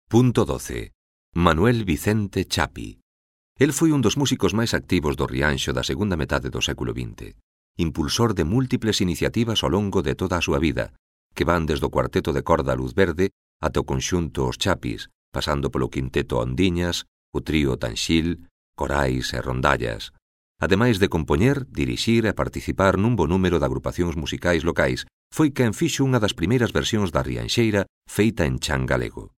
Punto 12. Manuel Vicente Chapi. El foi un dos músicos máis activos do Rianxo da segunda metade do século XX, impulsor de múltiples iniciativas ao longo de toda a súa vida, que van desde o cuarteto de corda Luz Verde ata o conxunto Os Chapis, pasando polo quinteto Ondiñas, o trío Tanxil, corais e rondallas, ademais de compoñer, dirixir e participar nun bo número de agrupacións musicais locais. Foi quen fixo unha das primeiras versións da Rianxeira feita en chan galego.